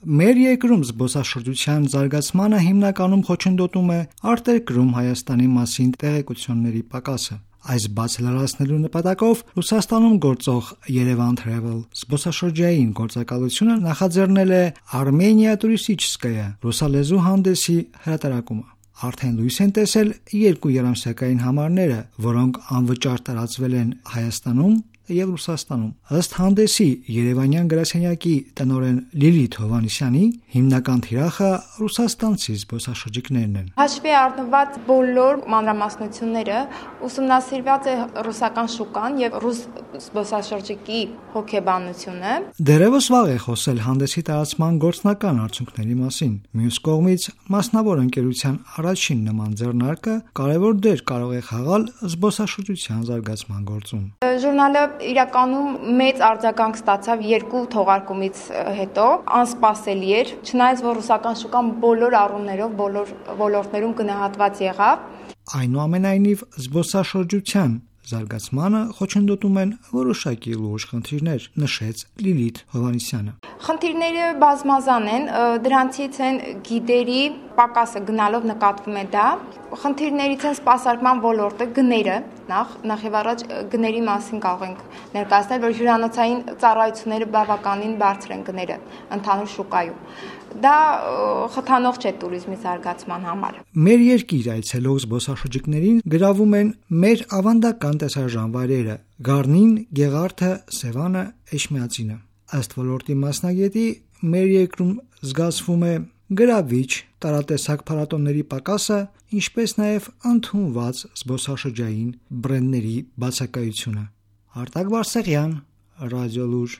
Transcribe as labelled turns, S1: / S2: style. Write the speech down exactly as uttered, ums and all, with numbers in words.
S1: Մեր երկրում զբոսաշրջության զարգացմանը հիմնականում խոչընդոտում է արտերկրում Հայաստանի մասին տեղեկությունների պակասը։ Այս բացը լրացնելու նպատակով Ռուսաստանում գործող Yerevan Travel զբոսաշրջային գործակալությունը նախաձեռնել է Armenia Turistichskaya ռուսալեզու հանդեսի հրատարակումը։ Արդեն լույս են տեսել երկու երամսյակային համարները, որոնք անվճար տարածվել են Հայաստանում և Ռուսաստանում։ Ըստ հանդեսի երևանյան գրասենյակի տնօրեն Լիլիթ Հովհաննիսյանի, հիմնական թիրախը ռուսաստանցի զբոսաշրջիկներն են։
S2: Հաշվի առնված բոլոր մանրամասնությունները ուսումնասիրված է ռուսական շուկան և ռուս զբոսաշրջիկի հոգեբանությունը։
S1: Դեռևս վաղ է խոսել հանդեսի տարածման գործնական արդյունքների մասին։ Մյուս կողմից, մասնավոր ընկերության առաջին նման ձեռնարկը կարևոր դեր կարող է խաղալ զբոսաշրջության զարգացման գործում։
S2: Ժուրնալը իրականում մեծ արձագանք ստացավ երկու թողարկումից հետո, անսպասելի էր, չնայած որ ռուսական շուկան բոլոր առումներով, բոլոր ոլորտներում գնահատված եղավ։
S1: Այնուամենայնիվ, զբոսաշրջության զարգացմանը խոչընդոտում են որոշակի լուրջ խնդիրներ, նշեց Լիլիթ Հովհաննիսյանը։
S2: Խնդիրները բազմազան են, դրանցից են գիդերի պակասը գնալով նկատվում է դա, խնդիրներից են սպասարկման ոլորտը, գները, նախ, նախ եւ առաջ գների մասին կարող ենք ներկայացնել, որ հյուրանոցային ծառայությունները բավականին բարձր են գները ընդհանուր շուկայում։ Դա խթանող չէ տուրիզմի զարգացման համար։
S1: Մեր երկիր այցելող զբոսաշրջիկներին գրավում են մեր ավանդական տեսարժան վայրերը՝ Գառնին, Գեղարդը, Սևանը, Էջմիածինը։ Ըստ ոլորտի մասնագետի, մեր երկրում զգացվում է գրավիչ տարատեսակ փառատոների պակասը, ինչպես նաև ընդունված զբոսաշրջային բրենդների բացակայությունը։ Արտակ Բարսեղյան, Ռադիոլուր։